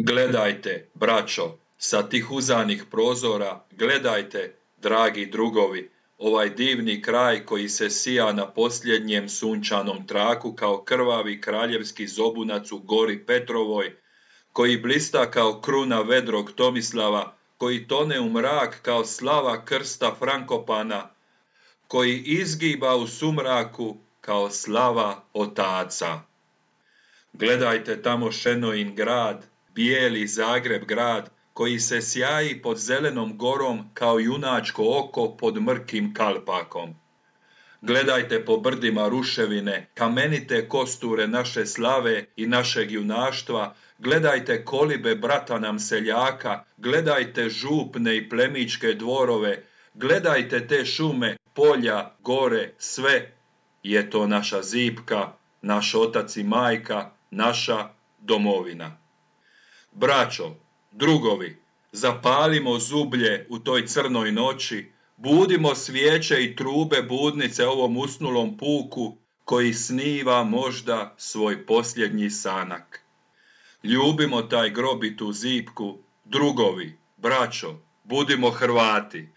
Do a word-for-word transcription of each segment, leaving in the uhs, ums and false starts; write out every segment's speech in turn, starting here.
Gledajte, braćo, sa tih uzanih prozora, gledajte, dragi drugovi, ovaj divni kraj koji se sija na posljednjem sunčanom traku kao krvavi kraljevski zobunac u gori Petrovoj, koji blista kao kruna vedrog Tomislava, koji tone u mrak kao slava krsta Frankopana, koji izgiba u sumraku kao slava otaca. Gledajte tamo Šenojin grad, bijeli Zagreb grad, koji se sjaji pod zelenom gorom kao junačko oko pod mrkim kalpakom. Gledajte po brdima ruševine, kamenite kosture naše slave i našeg junaštva, gledajte kolibe brata nam seljaka, gledajte župne i plemičke dvorove, gledajte te šume, polja, gore, sve je to naša zipka, naš otac i majka, naša domovina. Braćo, drugovi, zapalimo zublje u toj crnoj noći, budimo svijeće i trube budnice ovom usnulom puku koji sniva možda svoj posljednji sanak. Ljubimo taj grob i tu zipku, drugovi, braćo, budimo Hrvati.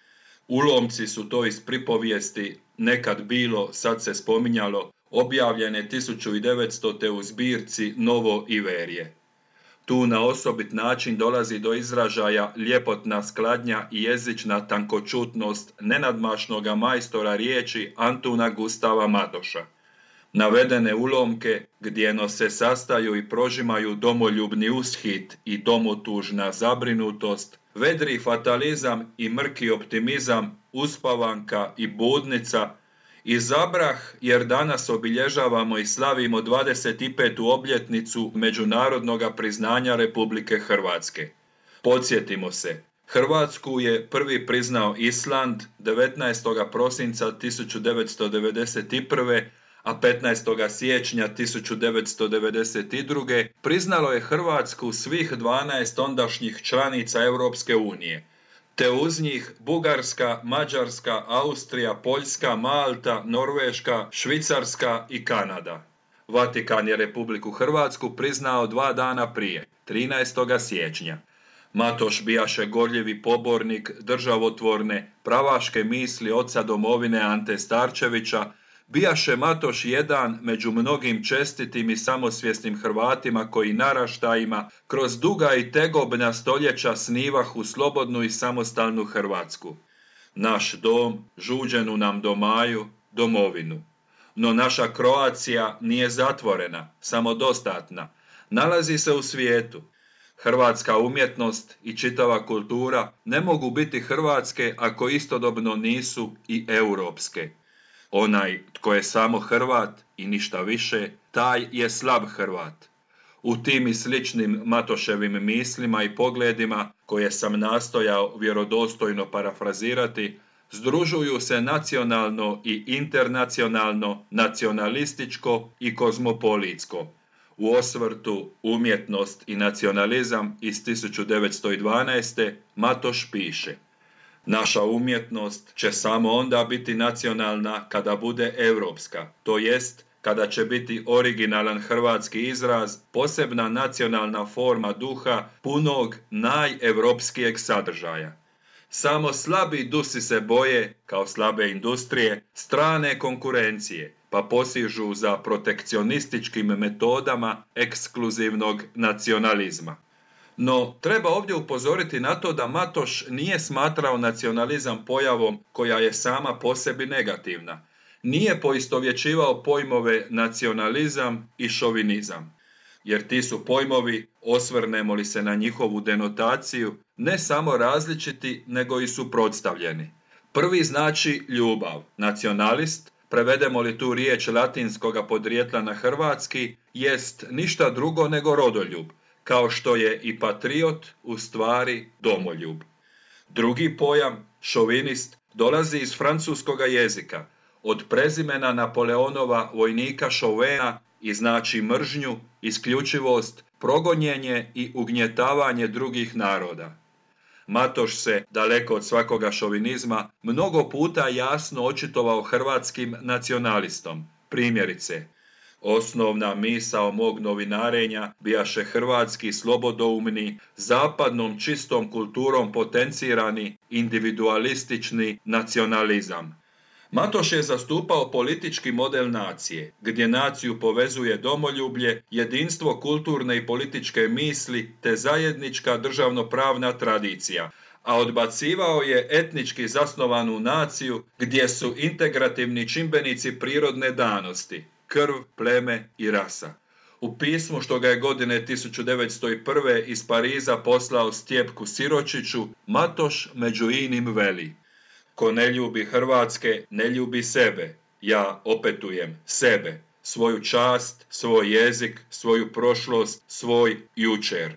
Ulomci su to iz pripovijesti nekad bilo, sad se spominjalo, objavljene tisuću devetstote u zbirci Novo Iverje. Tu na osobit način dolazi do izražaja ljepotna skladnja i jezična tankočutnost nenadmašnoga majstora riječi Antuna Gustava Matoša. Navedene ulomke, gdjeno se sastaju i prožimaju domoljubni ushit i domotužna zabrinutost, vedri fatalizam i mrki optimizam, uspavanka i budnica, izabrah jer danas obilježavamo i slavimo dvadeset petu obljetnicu međunarodnog priznanja Republike Hrvatske. Podsjetimo se, Hrvatsku je prvi priznao Island devetnaestog prosinca tisuću devetsto devedeset prve. a petnaestog siječnja tisuću devetsto devedeset druge. priznalo je Hrvatsku svih dvanaest ondašnjih članica Europske unije, te uz njih Bugarska, Mađarska, Austrija, Poljska, Malta, Norveška, Švicarska i Kanada. Vatikan je Republiku Hrvatsku priznao dva dana prije, trinaestog siječnja. Matoš bijaše gorljivi pobornik državotvorne, pravaške misli oca domovine Ante Starčevića, bijaše Matoš jedan među mnogim čestitim i samosvjesnim Hrvatima koji naraštajima kroz duga i tegobna stoljeća snivahu slobodnu i samostalnu Hrvatsku. Naš dom, žuđenu nam domaju, domovinu. No naša Kroacija nije zatvorena, samodostatna, nalazi se u svijetu. Hrvatska umjetnost i čitava kultura ne mogu biti hrvatske ako istodobno nisu i europske. Onaj tko je samo Hrvat i ništa više, taj je slab Hrvat. U tim i sličnim Matoševim mislima i pogledima, koje sam nastojao vjerodostojno parafrazirati, združuju se nacionalno i internacionalno, nacionalističko i kozmopolitsko. U osvrtu Umjetnost i nacionalizam iz tisuću devetsto dvanaeste. Matoš piše: naša umjetnost će samo onda biti nacionalna kada bude europska, to jest kada će biti originalan hrvatski izraz, posebna nacionalna forma duha punog najevropskijeg sadržaja. Samo slabi dusi se boje, kao slabe industrije, strane konkurencije, pa posižu za protekcionističkim metodama ekskluzivnog nacionalizma. No, treba ovdje upozoriti na to da Matoš nije smatrao nacionalizam pojavom koja je sama po sebi negativna. Nije poistovjećivao pojmove nacionalizam i šovinizam, jer ti su pojmovi, osvrnemo li se na njihovu denotaciju, ne samo različiti, nego i suprotstavljeni. Prvi znači ljubav, nacionalist, prevedemo li tu riječ latinskoga podrijetla na hrvatski, jest ništa drugo nego rodoljub, kao što je i patriot u stvari domoljub. Drugi pojam, šovinist, dolazi iz francuskoga jezika, od prezimena Napoleonova vojnika Chauvina i znači mržnju, isključivost, progonjenje i ugnjetavanje drugih naroda. Matoš se, daleko od svakoga šovinizma, mnogo puta jasno očitovao hrvatskim nacionalistom. Primjerice, Osnovna misao mog novinarenja bijaše hrvatski slobodoumni, zapadnom čistom kulturom potencirani individualistični nacionalizam. Matoš je zastupao politički model nacije, gdje naciju povezuje domoljublje, jedinstvo kulturne i političke misli te zajednička državnopravna tradicija, a odbacivao je etnički zasnovanu naciju gdje su integrativni čimbenici prirodne danosti, krv, pleme i rasa. U pismu što ga je godine tisuću devetsto prve iz Pariza poslao Stjepku Siročiću, Matoš među inim veli: ko ne ljubi Hrvatske, ne ljubi sebe. Ja opetujem sebe, svoju čast, svoj jezik, svoju prošlost, svoj jučer.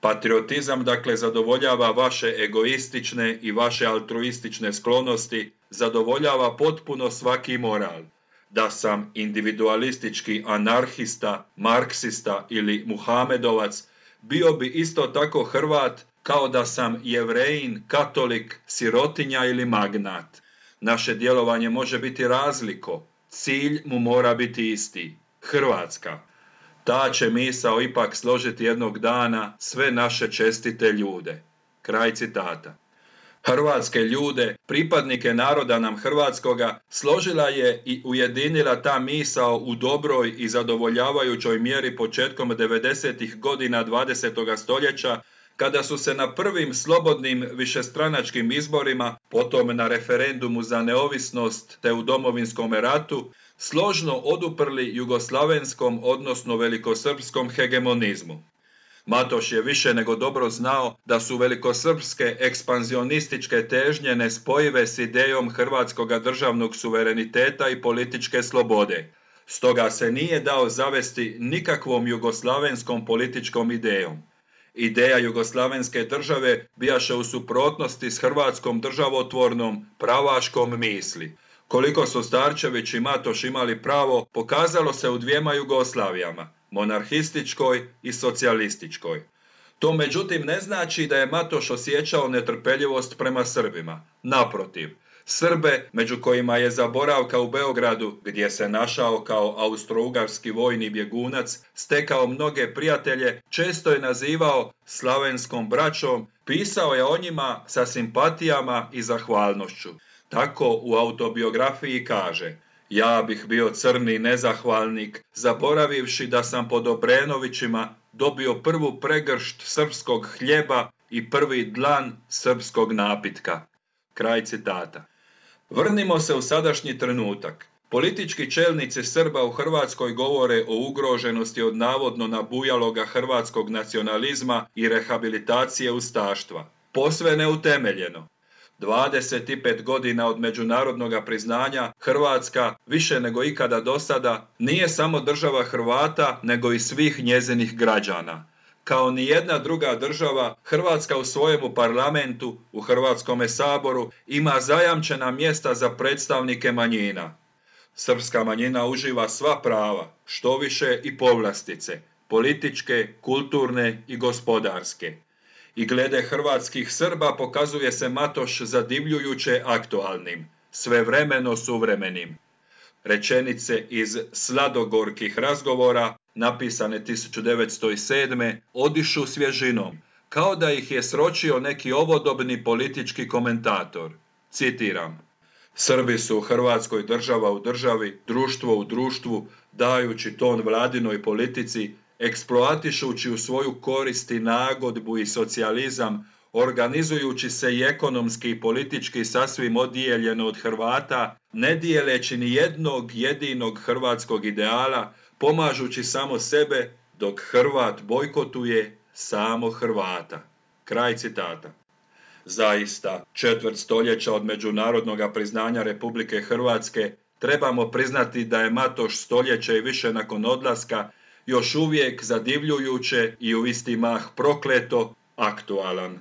Patriotizam dakle zadovoljava vaše egoistične i vaše altruistične sklonosti, zadovoljava potpuno svaki moral. Da sam individualistički anarhista, marksista ili muhamedovac, bio bi isto tako Hrvat kao da sam Jevrejin, katolik, sirotinja ili magnat. Naše djelovanje može biti razliko, cilj mu mora biti isti, Hrvatska. Ta će misao ipak složiti jednog dana sve naše čestite ljude. Kraj citata. Hrvatske ljude, pripadnike naroda nam hrvatskoga, složila je i ujedinila ta misao u dobroj i zadovoljavajućoj mjeri početkom devedesetih godina dvadesetoga stoljeća, kada su se na prvim slobodnim višestranačkim izborima, potom na referendumu za neovisnost te u Domovinskom ratu, složno oduprli jugoslavenskom odnosno velikosrpskom hegemonizmu. Matoš je više nego dobro znao da su velikosrpske ekspanzionističke težnje nespojive s idejom hrvatskoga državnog suvereniteta i političke slobode. Stoga se nije dao zavesti nikakvom jugoslavenskom političkom idejom. Ideja jugoslavenske države bijaše u suprotnosti s hrvatskom državotvornom, pravaškom misli. Koliko su Starčević i Matoš imali pravo, pokazalo se u dvijema Jugoslavijama, monarhističkoj i socijalističkoj. To međutim ne znači da je Matoš osjećao netrpeljivost prema Srbima. Naprotiv, Srbe, među kojima je za boravka u Beogradu, gdje se našao kao austrougarski vojni bjegunac, stekao mnoge prijatelje, često je nazivao slavenskom braćom, pisao je o njima sa simpatijama i zahvalnošću. Tako u autobiografiji kaže: ja bih bio crni nezahvalnik, zaboravivši da sam pod Obrenovićima dobio prvu pregršt srpskog hljeba i prvi dlan srpskog napitka. Kraj citata. Vrnimo se u sadašnji trenutak. Politički čelnici Srba u Hrvatskoj govore o ugroženosti od navodno nabujaloga hrvatskog nacionalizma i rehabilitacije ustaštva. Posve neutemeljeno. dvadeset pet godina od međunarodnog priznanja Hrvatska, više nego ikada do sada, nije samo država Hrvata, nego i svih njezinih građana. Kao ni jedna druga država, Hrvatska u svojemu parlamentu, u Hrvatskome saboru, ima zajamčena mjesta za predstavnike manjina. Srpska manjina uživa sva prava, štoviše i povlastice, političke, kulturne i gospodarske. I glede hrvatskih Srba pokazuje se Matoš zadivljujuće aktualnim, svevremeno suvremenim. Rečenice iz Sladogorkih razgovora, napisane tisuću devetsto sedme, odišu svježinom, kao da ih je sročio neki ovodobni politički komentator. Citiram: Srbi su u Hrvatskoj država u državi, društvo u društvu, dajući ton vladinoj politici, eksploatišući u svoju korist i nagodbu i socijalizam, organizujući se i ekonomski i politički sasvim odijeljeno od Hrvata, ne dijeleći ni jednog jedinog hrvatskog ideala, pomažući samo sebe, dok Hrvat bojkotuje samo Hrvata. Kraj citata. Zaista, četvrt stoljeća od međunarodnog priznanja Republike Hrvatske, trebamo priznati da je Matoš stoljeće i više nakon odlaska još uvijek zadivljujuće i u isti mah prokleto aktualan.